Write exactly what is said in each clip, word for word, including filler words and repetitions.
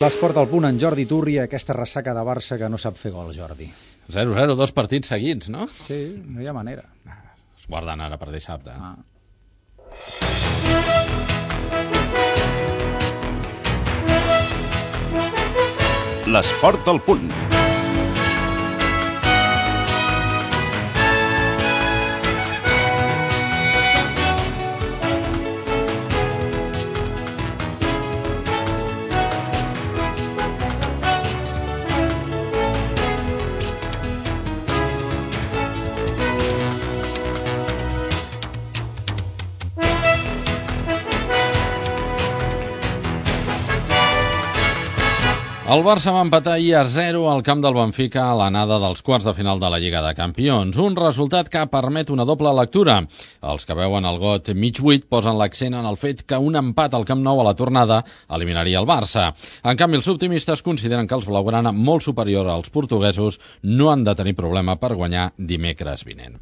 L'esport al punt en Jordi Turri, aquesta ressaca de Barça que no sap fer gol, Jordi. zero zero, dos partits seguits, no? Sí, no hi ha manera. Es guarden ara per dissabte. Ah. L'esport al punt. El Barça va empatar ahir a zero al camp del Benfica a l'anada dels quarts de final de la Lliga de Campions. Un resultat que permet una doble lectura. Els que veuen el got mig buit posen l'accent en el fet que un empat al Camp Nou a la tornada eliminaria el Barça. En canvi, els optimistes consideren que els blaugrana, molt superior als portuguesos, no han de tenir problema per guanyar dimecres vinent.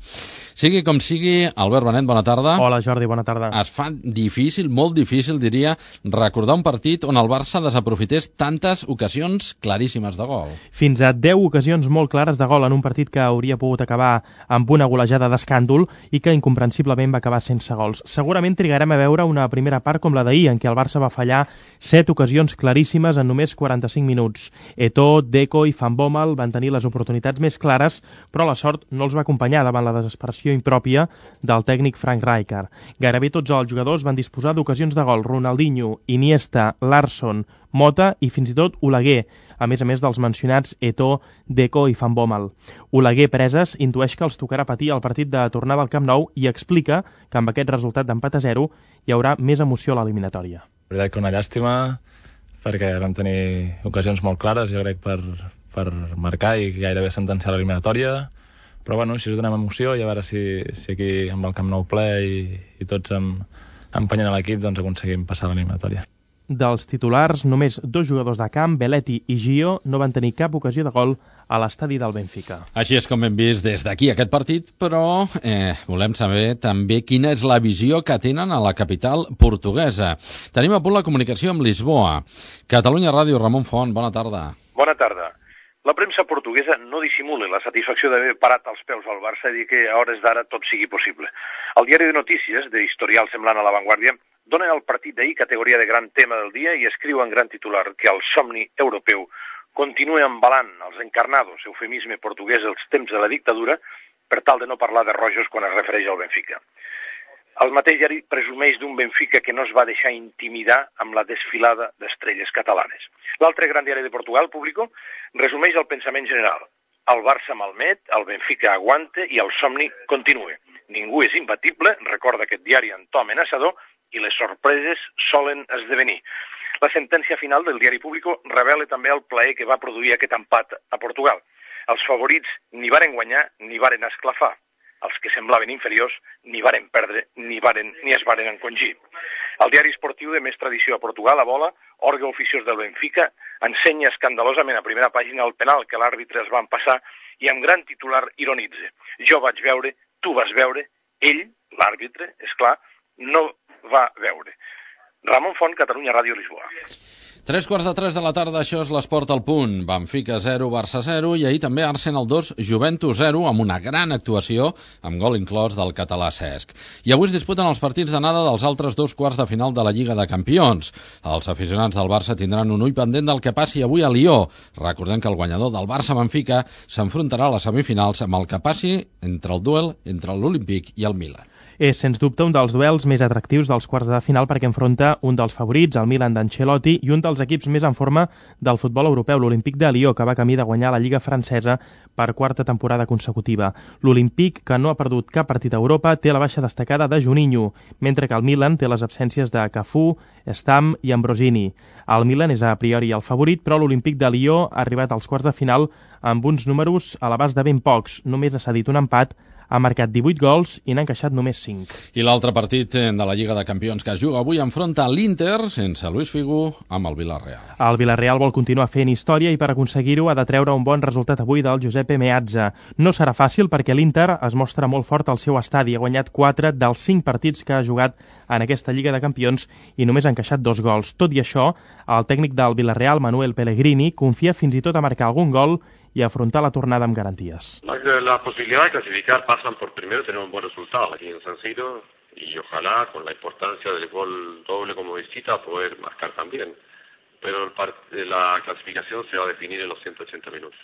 Sigui com sigui, Albert Benet, bona tarda. Hola, Jordi, bona tarda. Es fa difícil, molt difícil, diria, recordar un partit on el Barça desaprofités tantes ocasions claríssimes de gol. Fins a deu ocasions molt clares de gol en un partit que hauria pogut acabar amb una golejada d'escàndol i que incomprensiblement va acabar sense gols. Segurament trigarem a veure una primera part com la d'ahir, en què el Barça va fallar set ocasions claríssimes en només quaranta-cinc minuts. Eto'o, Deco i Van Bommel van tenir les oportunitats més clares, però la sort no els va acompanyar davant la desesperació impròpia del tècnic Frank Rijkaard. Gairebé tots els jugadors van disposar d'ocasions de gol: Ronaldinho, Iniesta, Larsson, Mota i fins i tot Oleguer, a més a més dels mencionats Eto'o, Deco i Van Bommel. Oleguer, preses, intueix que els tocarà patir el partit de tornada al Camp Nou i explica que amb aquest resultat d'empat a zero hi haurà més emoció a l'eliminatòria. La veritat que una llàstima, perquè vam tenir ocasions molt clares, jo crec, per, per marcar i gairebé sentenciar l'eliminatòria, però bueno, així us donem emoció i a veure si, si aquí amb el Camp Nou ple i, i tots amb, empenyent a l'equip, doncs aconseguim passar l'eliminatòria. Dels titulars, només dos jugadors de camp, Belletti i Gio, no van tenir cap ocasió de gol a l'estadi del Benfica. Així és com hem vist des d'aquí aquest partit, però eh, volem saber també quina és la visió que tenen a la capital portuguesa. Tenim a punt la comunicació amb Lisboa. Catalunya Ràdio, Ramon Font, bona tarda. Bona tarda. La premsa portuguesa no dissimula la satisfacció d'haver parat els peus al Barça i dir que a hores d'ara tot sigui possible. El diari de notícies, d'historial semblant a La Vanguardia, donen al partit d'ahir categoria de gran tema del dia i escriu en gran titular que el somni europeu continua embalant els encarnados, eufemisme portuguès dels temps de la dictadura, per tal de no parlar de rojos quan es refereix al Benfica. El mateix diari presumeix d'un Benfica que no es va deixar intimidar amb la desfilada d'estrelles catalanes. L'altre gran diari de Portugal, Público, resumeix el pensament general. El Barça malmet, el Benfica aguanta i el somni continua. Ningú és imbatible, recorda aquest diari en to amenaçador, i les sorpreses solen esdevenir. La sentència final del diari Público revela també el plaer que va produir aquest empat a Portugal. Els favorits ni varen guanyar ni varen esclafar. Els que semblaven inferiors ni varen perdre ni, varen, ni es varen encongir. El diari esportiu de més tradició a Portugal, a Bola, òrgan oficiós del Benfica, ensenya escandalosament a primera pàgina el penal que l'àrbitre es van passar i amb gran titular ironitza. Jo vaig veure, tu vas veure, ell, l'àrbitre, és clar, no va veure. Ramon Font, Catalunya Ràdio, Lisboa. Tres quarts de tres de la tarda, això és l'esport al punt. Benfica zero, Barça zero i ahir també Arsenal dos, Juventus zero, amb una gran actuació, amb gol inclòs del català Cesc. I avui es disputen els partits d'anada dels altres dos quarts de final de la Lliga de Campions. Els aficionats del Barça tindran un ull pendent del que passi avui a Lió. Recordem que el guanyador del Barça-Benfica s'enfrontarà a les semifinals amb el que passi entre el duel entre l'Olímpic i el Milan. És, sens dubte, un dels duels més atractius dels quarts de final perquè enfronta un dels favorits, el Milan d'Ancelotti, i un dels equips més en forma del futbol europeu, l'Olímpic de Lió, que va camí de guanyar la Lliga francesa per quarta temporada consecutiva. L'Olímpic, que no ha perdut cap partit a Europa, té la baixa destacada de Juninho, mentre que el Milan té les absències de Cafú, Stam i Ambrosini. El Milan és a priori el favorit, però l'Olímpic de Lió ha arribat als quarts de final amb uns números a l'abast de ben pocs. Només ha cedit un empat ha marcat divuit gols i n'ha encaixat només cinc. I l'altre partit de la Lliga de Campions que es juga avui enfronta l'Inter, sense Luis Figo, amb el Villarreal. El Villarreal vol continuar fent història i per aconseguir-ho ha de treure un bon resultat avui del Giuseppe Meazza. No serà fàcil perquè l'Inter es mostra molt fort al seu estadi. Ha guanyat quatre dels cinc partits que ha jugat en aquesta Lliga de Campions i només ha encaixat dos gols. Tot i això, el tècnic del Villarreal, Manuel Pellegrini, confia fins i tot a marcar algun gol y afrontar la tornada amb garanties. Las posibilidades de clasificar pasan por primero tener un buen resultado aquí en San Siro y ojalá con la importancia del gol doble como visita poder marcar también. Pero el la clasificación se va a definir en los ciento ochenta minutos.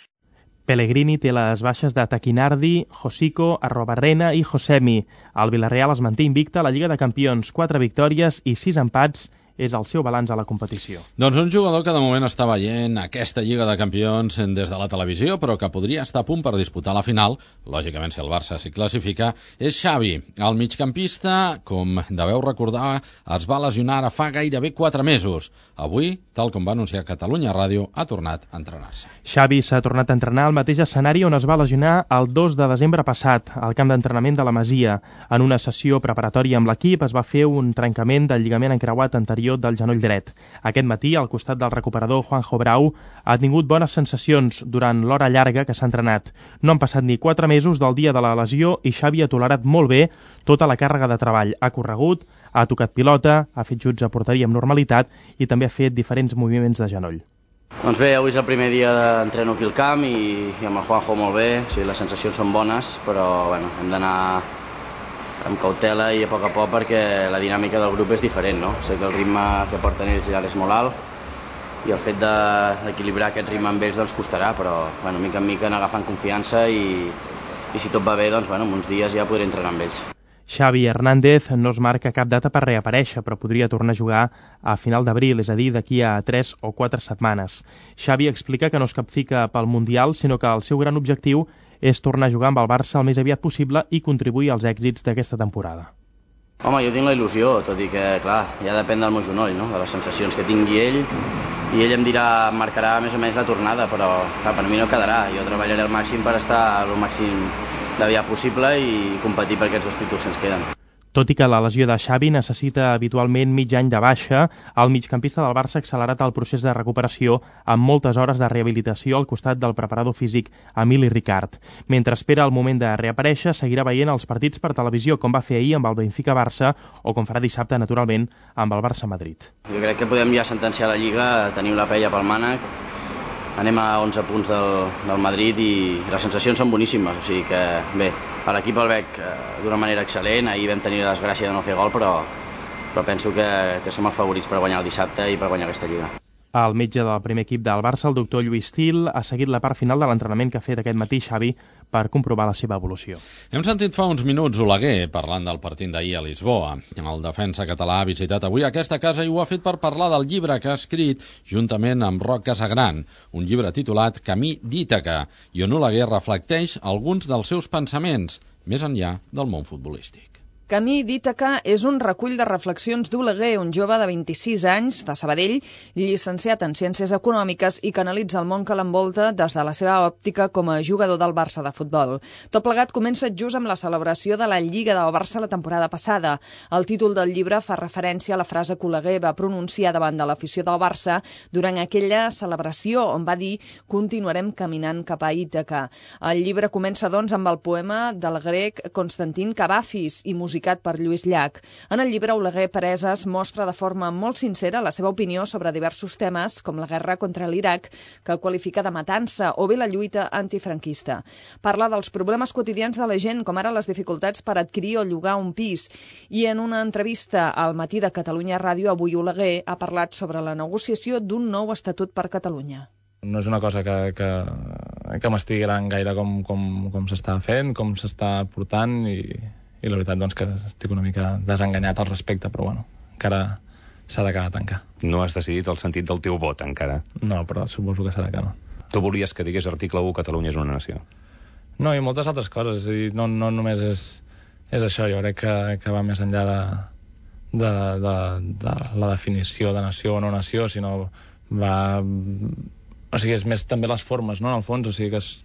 Pellegrini té les baixes de Taquinardi, Josico, Arrobarrena i Josemi. El Villarreal es manté invicte a la Lliga de Campions, quatre victòries i sis empats és el seu balanç a la competició. Doncs un jugador que de moment està veient aquesta Lliga de Campions des de la televisió, però que podria estar a punt per disputar la final, lògicament si el Barça s'hi classifica, és Xavi. El migcampista, com deveu recordar, es va lesionar ara fa gairebé quatre mesos. Avui, tal com va anunciar Catalunya Ràdio, ha tornat a entrenar-se. Xavi s'ha tornat a entrenar al mateix escenari on es va lesionar el dos de desembre passat, al camp d'entrenament de la Masia. En una sessió preparatòria amb l'equip es va fer un trencament del lligament encreuat anterior del genoll dret. Aquest matí, al costat del recuperador Juanjo Brau, ha tingut bones sensacions durant l'hora llarga que s'ha entrenat. No han passat ni quatre mesos del dia de la lesió i Xavi ha tolerat molt bé tota la càrrega de treball. Ha corregut, ha tocat pilota, ha fet juts a porteria amb normalitat i també ha fet diferents moviments de genoll. Doncs bé, avui és el primer dia d'entreno aquí al camp i, i amb el Juanjo molt bé. O sigui, les sensacions són bones, però bueno, hem d'anar amb cautela i a poc a poc perquè la dinàmica del grup és diferent, no? Sé que el ritme que porten ells ja és molt alt i el fet d'equilibrar aquest ritme amb ells doncs costarà, però bueno, mica en mica anar agafant confiança i, i si tot va bé, doncs bueno, en uns dies ja podré entrenar amb ells. Xavi Hernández no es marca cap data per reaparèixer, però podria tornar a jugar a final d'abril, és a dir, d'aquí a tres o quatre setmanes. Xavi explica que no es capfica pel Mundial, sinó que el seu gran objectiu és tornar a jugar amb el Barça el més aviat possible i contribuir als èxits d'aquesta temporada. Home, jo tinc la il·lusió, tot i que, clar, ja depèn del meu genoll, no?, de les sensacions que tingui ell, i ell em dirà, em marcarà més o menys la tornada, però clar, per mi no quedarà. Jo treballaré al màxim per estar el màxim d'aviat possible i competir per aquests dos títols que ens queden. Tot i que la lesió de Xavi necessita habitualment mig any de baixa, el migcampista del Barça ha accelerat el procés de recuperació amb moltes hores de rehabilitació al costat del preparador físic Emili Ricard. Mentre espera el moment de reaparèixer, seguirà veient els partits per televisió, com va fer ahir amb el Benfica-Barça o com farà dissabte, naturalment, amb el Barça-Madrid. Jo crec que podem ja sentenciar la Lliga, tenim la paella pel mànec, anem a onze punts del, del Madrid i les sensacions són boníssimes, o sigui que bé, per l'equip el veig d'una manera excel·lent. Ahir vam tenir la desgràcia de no fer gol, però, però penso que, que som els favorits per guanyar el dissabte i per guanyar aquesta Lliga. El metge del primer equip del Barça, el doctor Lluís Til, ha seguit la part final de l'entrenament que ha fet aquest matí Xavi per comprovar la seva evolució. Hem sentit fa uns minuts Oleguer parlant del partit d'ahir a Lisboa. El defensa català ha visitat avui aquesta casa i ho ha fet per parlar del llibre que ha escrit juntament amb Roc Casagran, un llibre titulat Camí d'Ítaca, i on Oleguer reflecteix alguns dels seus pensaments més enllà del món futbolístic. Camí d'Ítaca és un recull de reflexions d'Oleguer, un jove de vint-i-sis anys, de Sabadell, llicenciat en Ciències Econòmiques i que analitza el món que l'envolta des de la seva òptica com a jugador del Barça de futbol. Tot plegat comença just amb la celebració de la Lliga del Barça la temporada passada. El títol del llibre fa referència a la frase que Oleguer va pronunciar davant de l'afició del Barça durant aquella celebració, on va dir «Continuarem caminant cap a Ítaca». El llibre comença, doncs, amb el poema del grec Constantin Cavafis i musicat per Lluís Llach. En el llibre, Oleguer Preses mostra de forma molt sincera la seva opinió sobre diversos temes, com la guerra contra l'Iraq, que qualifica de matança, o bé la lluita antifranquista. Parla dels problemes quotidians de la gent, com ara les dificultats per adquirir o llogar un pis. I en una entrevista al Matí de Catalunya Ràdio, avui Oleguer ha parlat sobre la negociació d'un nou estatut per Catalunya. No és una cosa que, que, que m'estigui agradant gaire com, com, com s'està fent, com s'està portant, i... i la veritat doncs que estic una mica desenganyat al respecte, però bueno, encara s'ha d'acabar de tancar. No has decidit el sentit del teu vot encara? No, però suposo que serà que no. Tu volies que digués article u Catalunya és una nació? No, i moltes altres coses, és a dir, no, no només és, és això, jo crec que, que va més enllà de, de, de, de la definició de nació o no nació, sinó va... O sigui, és més també les formes, no?, en el fons, o sigui que es,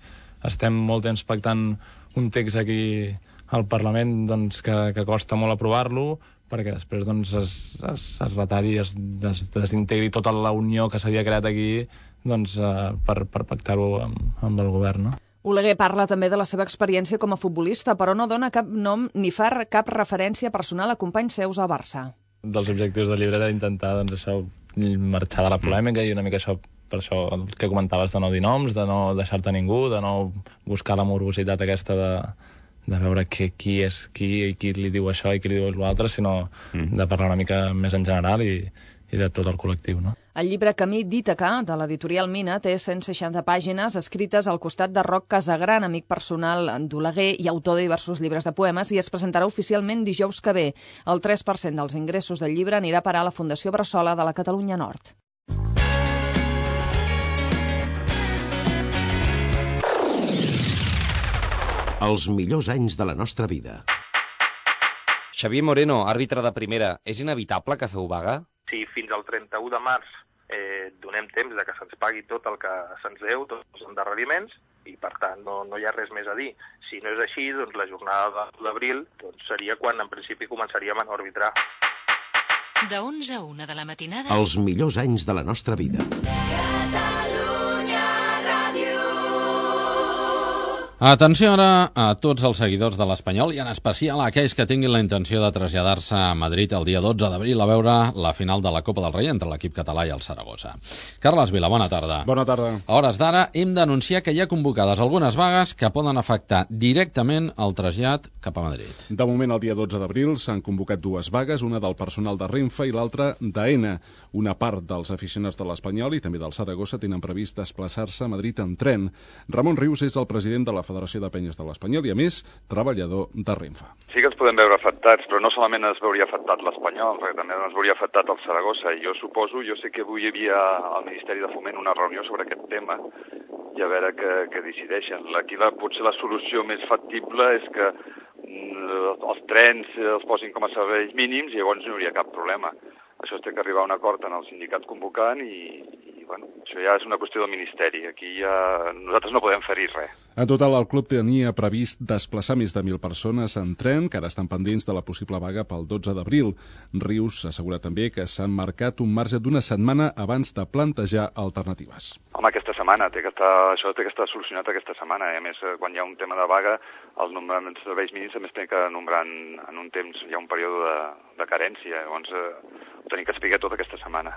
estem molt temps pactant un text aquí al Parlament doncs, que, que costa molt aprovar-lo, perquè després doncs, es, es, es retalli i es des, desintegri tota la unió que s'havia creat aquí doncs, eh, per, per pactar-ho amb, amb el govern, no? Oleguer parla també de la seva experiència com a futbolista, però no dona cap nom ni fa cap referència personal a companys seus al Barça. Dels objectius del llibre era intentar doncs, això, marxar de la polèmica i una mica això, per això el que comentaves de no dir noms, de no deixar-te ningú, de no buscar la morbositat aquesta de, de veure que, qui és qui i qui li diu això i qui li diu l'altre, sinó mm. de parlar una mica més en general i, i de tot el col·lectiu, no? El llibre Camí d'Ítaca, de l'editorial Mina, té cent seixanta pàgines escrites al costat de Roc Casagran, amic personal d'Oleguer i autor de diversos llibres de poemes, i es presentarà oficialment dijous que ve. El tres per cent dels ingressos del llibre anirà a parar a la Fundació Bressola de la Catalunya Nord. Els millors anys de la nostra vida. Xavier Moreno, àrbitre de primera, és inevitable que feu vaga? Si fins al trenta-u de març eh, donem temps de que se'ns pagui tot el que se'ns deu, tots els endarreriments, i per tant no, no hi ha res més a dir. Si no és així, doncs la jornada d'abril doncs, seria quan en principi començaríem a no arbitrar. De onze a una de la matinada. Els millors anys de la nostra vida. Atenció ara a tots els seguidors de l'Espanyol i en especial a aquells que tinguin la intenció de traslladar-se a Madrid el dia dotze d'abril a veure la final de la Copa del Rei entre l'equip català i el Saragossa. Carles Vila, bona tarda. Bona tarda. A hores d'ara hem d'anunciar que hi ha convocades algunes vagues que poden afectar directament el trasllat cap a Madrid. De moment, el dia dotze d'abril s'han convocat dues vagues, una del personal de Renfe i l'altra d'Aena. Una part dels aficionats de l'Espanyol i també del Saragossa tenen previst desplaçar-se a Madrid en tren. Ramon Rius és el president de la Federació de Penyes de l'Espanyol i, a més, treballador de Renfe. Sí que ens podem veure afectats, però no solament es veuria afectat l'Espanyol, perquè també es veuria afectat el Saragossa. I jo suposo, jo sé que avui hi havia al Ministeri de Foment una reunió sobre aquest tema i a veure què, què decideixen. Aquí la, potser la solució més factible és que mm, els trens els posin com a serveis mínims i llavors no hi hauria cap problema. Això es té que arribar a un acord en el sindicat convocant i, i bueno, això ja és una qüestió del Ministeri. Aquí ja nosaltres no podem fer-hi res. En total, el club tenia previst desplaçar més de mil persones en tren, que ara estan pendents de la possible vaga pel dotze d'abril. Rius assegura també que s'han marcat un marge d'una setmana abans de plantejar alternatives. Home, aquesta setmana, té que estar, això té que estar solucionat aquesta setmana. I a més, quan hi ha un tema de vaga, el nombre de serveis mínims també es té que nombrar en, en un temps, hi ha un període de, de carència. Llavors, eh, ho tenim que explicar tota aquesta setmana.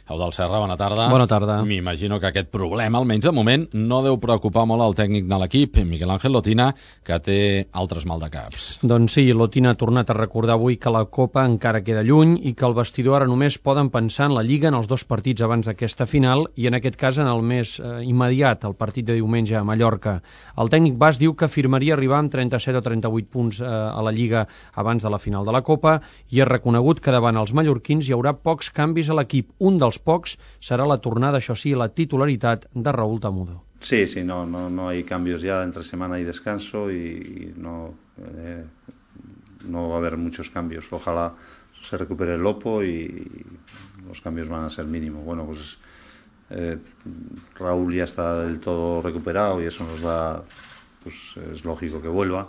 Eudald Serra, bona tarda. Bona tarda. M'imagino que aquest problema, almenys de moment, no deu preocupar molt el tècnic de l'equip, Miguel Ángel Lotina, que té altres maldecaps. Doncs sí, Lotina ha tornat a recordar avui que la Copa encara queda lluny i que el vestidor ara només poden pensar en la Lliga en els dos partits abans d'aquesta final i en aquest cas en el més eh, immediat, el partit de diumenge a Mallorca. El tècnic bas diu que afirmaria arribar amb trenta-set o trenta-vuit punts eh, a la Lliga abans de la final de la Copa i ha reconegut que davant els mallorquins hi haurà pocs canvis a l'equip. Un dels pocs serà la tornada, això sí, la titularitat de Raúl Tamudo. Sí, sí, no, no, no hay cambios ya entre semana y descanso y, y no, eh, no va a haber muchos cambios. Ojalá se recupere el Lopo y los cambios van a ser mínimos. Bueno, pues eh, Raúl ya está del todo recuperado y eso nos da, pues es lógico que vuelva,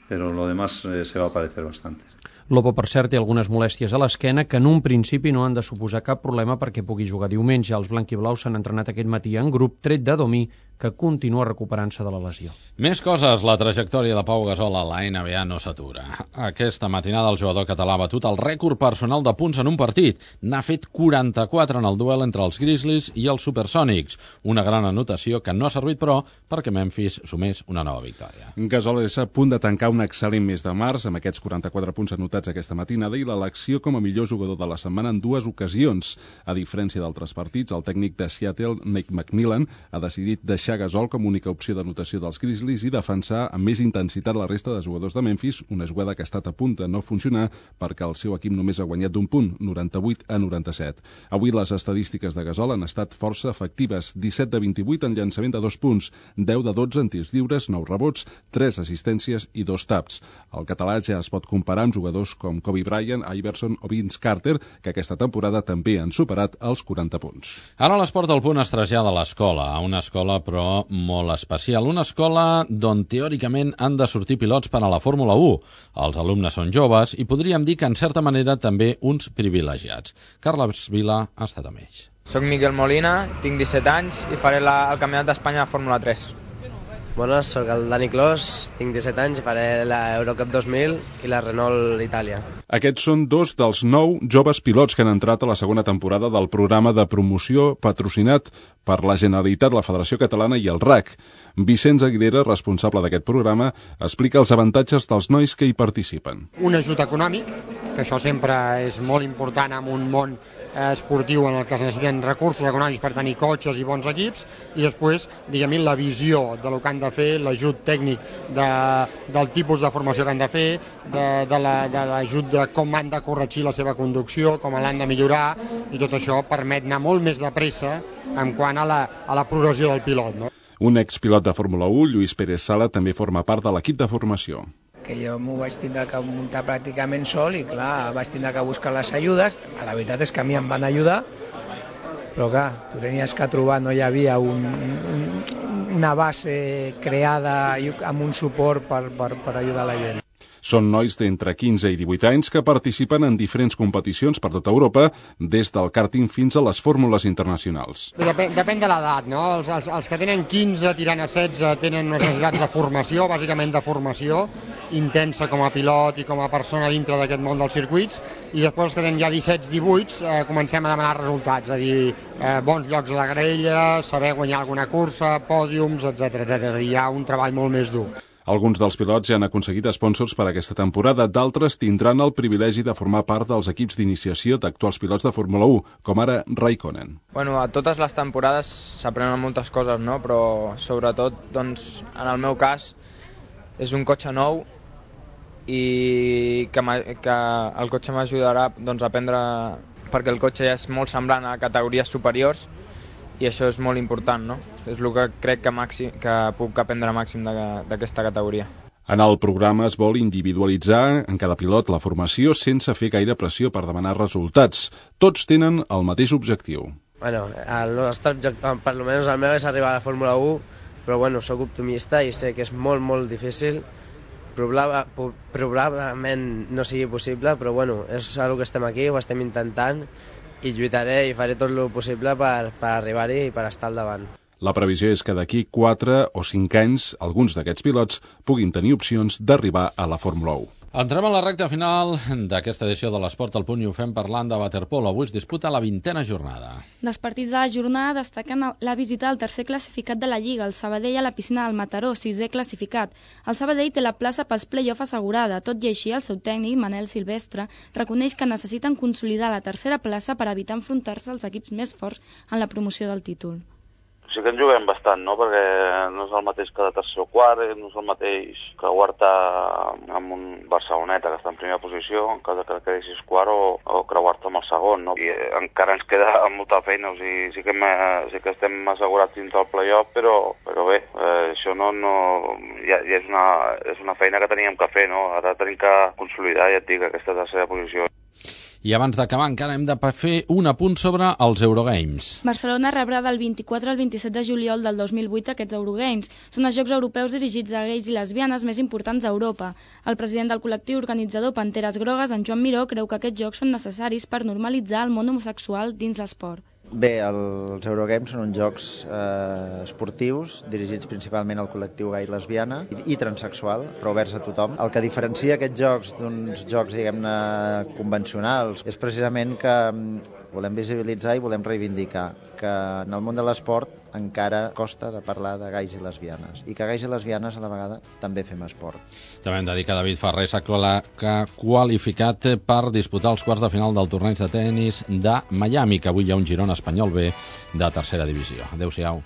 pero lo demás eh, se va a parecer bastante. Lopo, per cert, té algunes molèsties a l'esquena que en un principi no han de suposar cap problema perquè pugui jugar diumenge. Els blanquiblaus s'han entrenat aquest matí en grup, tret de Domí, que continua recuperant-se de la lesió. Més coses. La trajectòria de Pau Gasol a la N B A no s'atura. Aquesta matinada el jugador català ha batut el rècord personal de punts en un partit. N'ha fet quaranta-quatre en el duel entre els Grizzlies i els Supersònics. Una gran anotació que no ha servit, però, perquè Memphis sumés una nova victòria. Gasol és a punt de tancar un excel·lent mes de març amb aquests quaranta-quatre punts anotats aquesta matinada i l'elecció com a millor jugador de la setmana en dues ocasions. A diferència d'altres partits, el tècnic de Seattle, Nate McMillan, ha decidit deixar Gasol com a única opció d'anotació dels Grizzlies i defensar amb més intensitat la resta de jugadors de Memphis, una jugada que ha estat a punt de no funcionar perquè el seu equip només ha guanyat d'un punt, noranta-vuit a noranta-set. Avui les estadístiques de Gasol han estat força efectives, disset de vint-i-vuit en llançament de dos punts, deu de dotze en tirs lliures, nou rebots, tres assistències i dos taps. El català ja es pot comparar amb jugadors jugadors com Kobe Bryant, Iverson o Vince Carter, que aquesta temporada també han superat els quaranta punts. Ara l'esport al punt es trasllada a l'escola, a una escola però molt especial, una escola d'on teòricament han de sortir pilots per a la Fórmula u. Els alumnes són joves i podríem dir que en certa manera també uns privilegiats. Carles Vila ha estat amb ells. Soc Miquel Molina, tinc disset anys i faré la, el Campionat d'Espanya de Fórmula tres. Bones, soc el Dani Clos, tinc disset anys i faré la Eurocup dos mil i la Renault Itàlia. Aquests són dos dels nou joves pilots que han entrat a la segona temporada del programa de promoció patrocinat per la Generalitat, la Federació Catalana i el R A C. Vicenç Aguilera, responsable d'aquest programa, explica els avantatges dels nois que hi participen. Un ajut econòmic, que això sempre és molt important en un món esportiu en el que es necessiten recursos econòmics per tenir cotxes i bons equips, i després, diguem-ne, la visió de lo que han de fer, l'ajut tècnic de, del tipus de formació que han de fer, de, de l'ajut de, de com han de corregir la seva conducció, com l'han de millorar, i tot això permet anar molt més de pressa en quant a la, a la progressió del pilot, no? Un expilot de Fórmula u, Lluís Pérez Sala, també forma part de l'equip de formació. Que jo m'ho vaig tindre que muntar pràcticament sol i clar, vaig tindre que buscar les ajudes. La veritat és que a mi em van ajudar, però clar, tu tenies que trobar, no hi havia un, un, una base creada amb un suport per, per, per ajudar la gent. Són nois d'entre quinze i divuit anys que participen en diferents competicions per tota Europa, des del kàrting fins a les fórmules internacionals. Depèn, depèn de l'edat, no? Els, els, els que tenen quinze tirant a setze tenen unes necessitats de formació, bàsicament de formació intensa com a pilot i com a persona dintre d'aquest món dels circuits, i després els que tenen ja disset divuit eh, comencem a demanar resultats, és a dir, eh, bons llocs a la graella, saber guanyar alguna cursa, pòdiums, etcètera, etcètera. Hi ha un treball molt més dur. Alguns dels pilots ja han aconseguit sponsors per a aquesta temporada, d'altres tindran el privilegi de formar part dels equips d'iniciació d'actuals pilots de Fórmula u, com ara Raikkonen. Bueno, a totes les temporades s'aprenen moltes coses, no? Però sobretot, doncs, en el meu cas, és un cotxe nou i que, que el cotxe m'ajudarà doncs, a aprendre, perquè el cotxe ja és molt semblant a categories superiors, i això és molt important, no? És el que crec que, màxim, que puc aprendre màxim d'aquesta categoria. En el programa es vol individualitzar en cada pilot la formació sense fer gaire pressió per demanar resultats. Tots tenen el mateix objectiu. Bueno, el nostre objectiu, per almenys el meu, és arribar a la Fórmula u, però bueno, soc optimista i sé que és molt, molt difícil. Probable, probablement no sigui possible, però bueno, és el que estem aquí, ho estem intentant, i lluitaré i faré tot el possible per, per arribar-hi i per estar al davant. La previsió és que d'aquí quatre o cinc anys alguns d'aquests pilots puguin tenir opcions d'arribar a la Fórmula u. Entrem a la recta final d'aquesta edició de l'Esport al Punt i ho fem parlant de waterpolo. Avui es disputa la vintena jornada. Dels partits de la jornada destaquen la visita del tercer classificat de la Lliga, el Sabadell, a la piscina del Mataró, sisè classificat. El Sabadell té la plaça pels play-off assegurada, tot i així el seu tècnic, Manel Silvestre, reconeix que necessiten consolidar la tercera plaça per evitar enfrontar-se als equips més forts en la promoció del títol. Sí que en juguem bastant, no? Perquè no és el mateix que de tercer o quart, no és el mateix que creuar-te amb un Barceloneta que està en primera posició, en cas que quedessis quart, o, o creuar-te amb el segon, no? I encara ens queda molta feina, o sigui, sí que, me, sí que estem assegurats dins del play-off, però, però bé, eh, això no, no ja, ja és, una, és una feina que teníem que fer, no? Ara tenim que consolidar, ja et dic, aquesta tercera posició. I abans d'acabar encara hem de fer un apunt sobre els Eurogames. Barcelona rebrà del vint-i-quatre al vint-i-set de juliol del dos mil vuit aquests Eurogames. Són els Jocs Europeus dirigits a gais i lesbianes més importants d'Europa. El president del col·lectiu organitzador Panteres Grogues, en Joan Miró, creu que aquests jocs són necessaris per normalitzar el món homosexual dins l'esport. Bé, els Eurogames són uns jocs eh, esportius dirigits principalment al col·lectiu gai i lesbiana i, i transexual, però oberts a tothom. El que diferencia aquests jocs d'uns jocs, diguem-ne, convencionals és precisament que volem visibilitzar i volem reivindicar que en el món de l'esport encara costa de parlar de gais i lesbianes i que gais i lesbianes a la vegada també fem esport. També hem de dir que David Ferrer s'ha qualificat per disputar els quarts de final del torneig de tennis de Miami, que avui hi ha un Girona Espanyol B de tercera divisió. Adéu-siau.